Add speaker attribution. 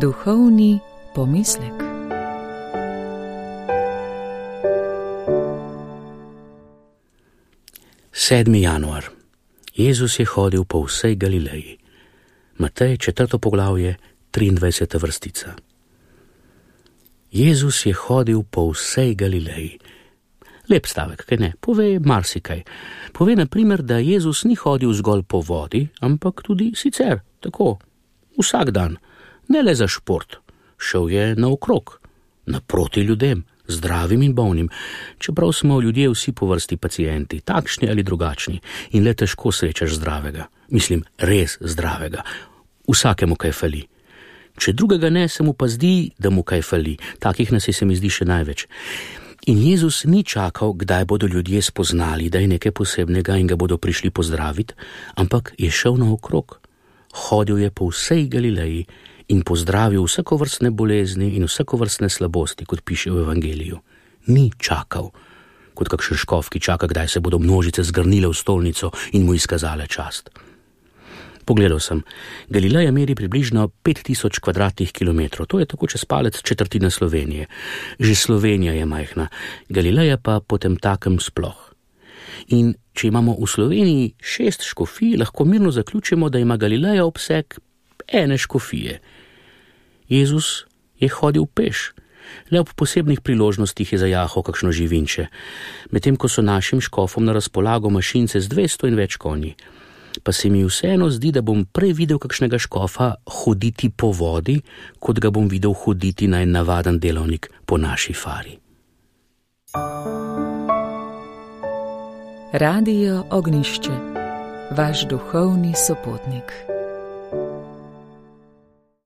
Speaker 1: Duhovni pomislek.
Speaker 2: Sedmi januar. Jezus je hodil po vsej Galileji. Matej, 4. poglavje, 23. vrstica. Jezus je hodil po vsej Galileji. Lep stavek, kaj ne? Pove marsikaj. Pove na primer, da Jezus ni hodil zgolj po vodi, ampak tudi sicer, tako, vsak dan. Ne le za šport. Šel je naokrog, naproti ljudem, zdravim in bolnim, čeprav smo ljudje vsi po vrsti pacienti, takšni ali drugačni, in le težko srečaš zdravega. Mislim, res zdravega. Vsakemu kaj fali. Če drugega ne, se mu pa zdi, da mu kaj fali. Takih nas je, se mi zdi, še največ. In Jezus ni čakal, kdaj bodo ljudje spoznali, da je nekaj posebnega in ga bodo prišli pozdraviti, ampak je šel naokrog. Hodil je po vsej Galileji in pozdravil vsakovrstne bolezni in vsakovrstne slabosti, kot piše v Evangeliju. Ni čakal, kot kakšen škof, ki čaka, kdaj se bodo množice zgrnile v stolnico in mu izkazale čast. Pogledal sem, Galileja meri približno 5000 kvadratnih kilometrov, to je tako čez palec četrtina Slovenije. Že Slovenija je majhna, Galileja pa potemtakem sploh. In če imamo v Sloveniji 6 škofij, lahko mirno zaključimo, da ima Galileja obseg ene škofije. Jezus je hodil peš, le ob posebnih priložnostih je zajahal kakšno živinče, medtem ko so našim škofom na razpolago mašince z 200 in več konji. Pa se mi vseeno zdi, da bom prej videl kakšnega škofa hoditi po vodi, kot ga bom videl hoditi na en navaden delovnik po naši fari.
Speaker 1: Radio Ognjišče, vaš duhovni sopotnik.